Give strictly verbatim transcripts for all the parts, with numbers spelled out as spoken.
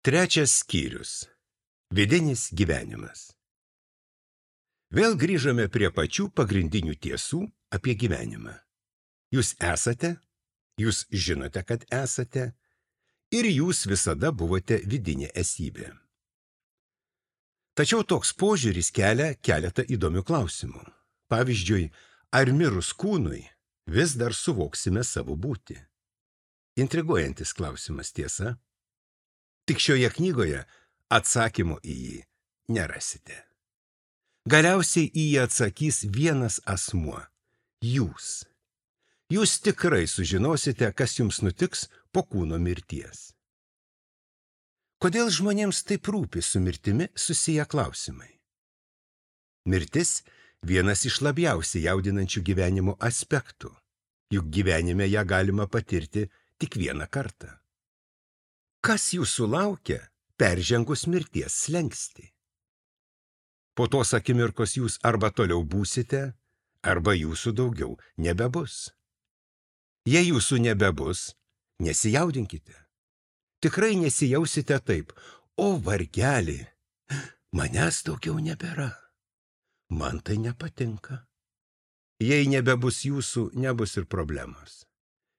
Trečias skyrius. Vidinis gyvenimas. Vėl grįžome prie pačių pagrindinių tiesų apie gyvenimą. Jūs esate, jūs žinote, kad esate, ir jūs visada buvote vidinė esybė. Tačiau toks požiūris kelia keletą įdomių klausimų. Pavyzdžiui, ar mirus kūnui vis dar suvoksime savo būtį? Intriguojantis klausimas, tiesa? Tik šioje knygoje atsakymo į jį nerasite. Galiausiai į jį atsakys vienas asmuo – jūs. Jūs tikrai sužinosite, kas jums nutiks po kūno mirties. Kodėl žmonėms taip rūpi su mirtimi susiję klausimai? Mirtis – vienas iš labiausiai jaudinančių gyvenimo aspektų, juk gyvenime ją galima patirti tik vieną kartą. Kas jūsų laukia peržengus mirties slenkstį? Po tos akimirkos jūs arba toliau būsite, arba jūsų daugiau nebebus. Jei jūsų nebebus, nesijaudinkite. Tikrai nesijausite taip, o vargelį, manęs daugiau nebėra. Man tai nepatinka. Jei nebebus jūsų, nebus ir problemos.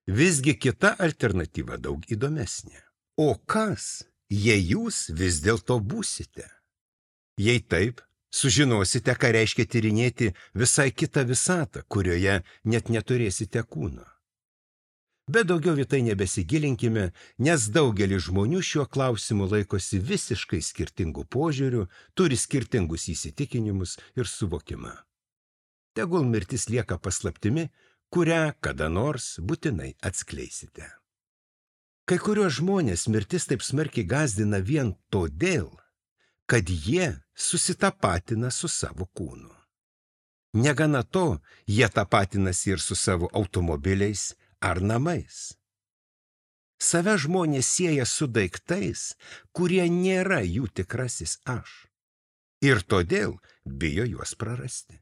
Visgi kita alternatyva daug įdomesnė. O kas, jei jūs vis dėlto būsite? Jei taip, sužinosite, ką reiškia tyrinėti visai kitą visatą, kurioje net neturėsite kūno. Bet daugiau į tai nebesigilinkime, nes daugelis žmonių šiuo klausimu laikosi visiškai skirtingų požiūrių, turi skirtingus įsitikinimus ir suvokimą. Tegul mirtis lieka paslaptimi, kurią kada nors būtinai atskleisite. Kai kuriuos žmonės mirtis taip smarkiai gąsdina vien todėl, kad jie susitapatina su savo kūnu. Negana to, jie tapatinasi ir su savo automobiliais ar namais. Save žmonės sieja su daiktais, kurie nėra jų tikrasis aš. Ir todėl bijo juos prarasti.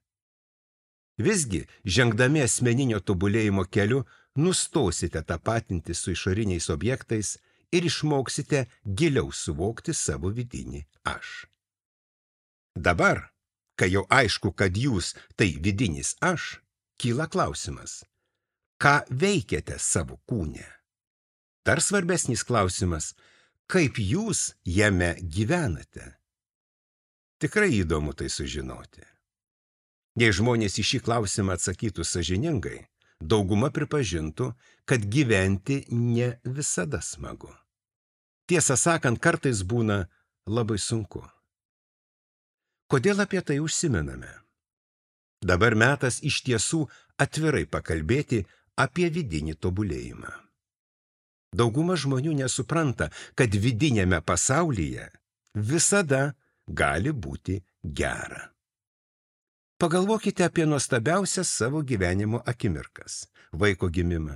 Visgi, žengdami asmeninio tobulėjimo keliu, nustosite tapatinti su išoriniais objektais ir išmoksite giliau suvokti savo vidinį aš. Dabar, kai jau aišku, kad jūs tai vidinis aš, kyla klausimas, ką veikiate savo kūne? Dar svarbesnis klausimas, kaip jūs jame gyvenate? Tikrai įdomu tai sužinoti. Jei žmonės į šį klausimą atsakytų sąžiningai, dauguma pripažintų, kad gyventi ne visada smagu. Tiesą sakant, kartais būna labai sunku. Kodėl apie tai užsimename? Dabar metas iš tiesų atvirai pakalbėti apie vidinį tobulėjimą. Dauguma žmonių nesupranta, kad vidinėme pasaulyje visada gali būti gera. Pagalvokite apie nuostabiausias savo gyvenimo akimirkas – vaiko gimimą,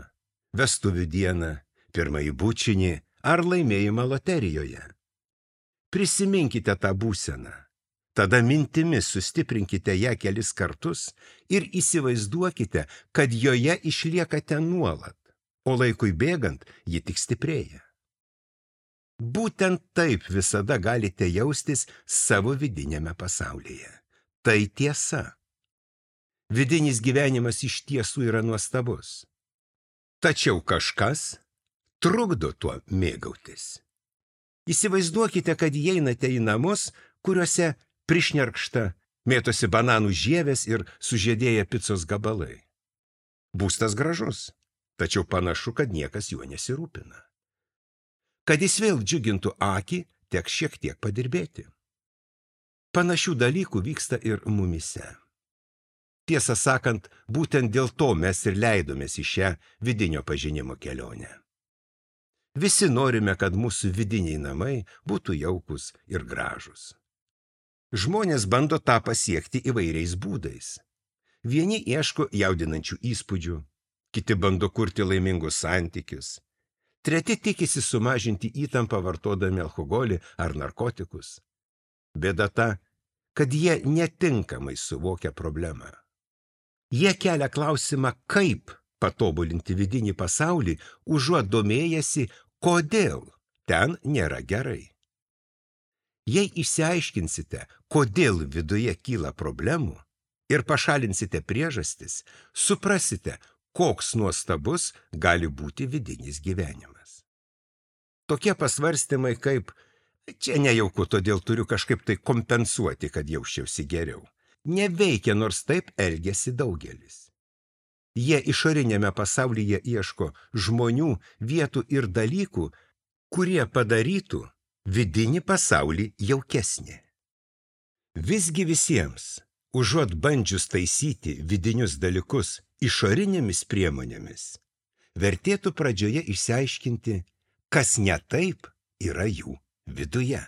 vestuvių dieną, pirmąjį bučinį ar laimėjimą loterijoje. Prisiminkite tą būseną, tada mintimis sustiprinkite ją kelis kartus ir įsivaizduokite, kad joje išliekate nuolat, o laikui bėgant ji tik stiprėja. Būtent taip visada galite jaustis savo vidinėme pasaulyje. Tai tiesa. Vidinis gyvenimas iš tiesų yra nuostabus. Tačiau kažkas trukdo tuo mėgautis. Įsivaizduokite, kad įeinate į namus, kuriuose prišnerkšta, mėtosi bananų žievės ir sužiedėję picos gabalai. Būstas gražus, tačiau panašu, kad niekas juo nesirūpina. Kad jis vėl džiugintų akį, teks šiek tiek padirbėti. Panašių dalykų vyksta ir mumyse. Tiesą sakant, būtent dėl to mes ir leidomės į šią vidinio pažinimo kelionę. Visi norime, kad mūsų vidiniai namai būtų jaukus ir gražus. Žmonės bando tą pasiekti įvairiais būdais. Vieni ieško jaudinančių įspūdžių, kiti bando kurti laimingus santykius, treti tikisi sumažinti įtampą vartodami alkoholį ar narkotikus. Bėda ta, kad jie netinkamai suvokia problemą. Jie kelia klausimą, kaip patobulinti vidinį pasaulį, užuot domėjęsi, kodėl ten nėra gerai. Jei išsiaiškinsite, kodėl viduje kyla problemų ir pašalinsite priežastis, suprasite, koks nuostabus gali būti vidinis gyvenimas. Tokie pasvarstymai kaip čia nejauku, todėl turiu kažkaip tai kompensuoti, kad jausčiausi geriau, neveikia, nors taip elgiasi daugelis. Jie išorinėme pasaulyje ieško žmonių, vietų ir dalykų, kurie padarytų vidinį pasaulį jaukesnį. Visgi visiems, užuot bandžius taisyti vidinius dalykus išorinėmis priemonėmis, vertėtų pradžioje išsiaiškinti, kas ne taip yra jų viduje.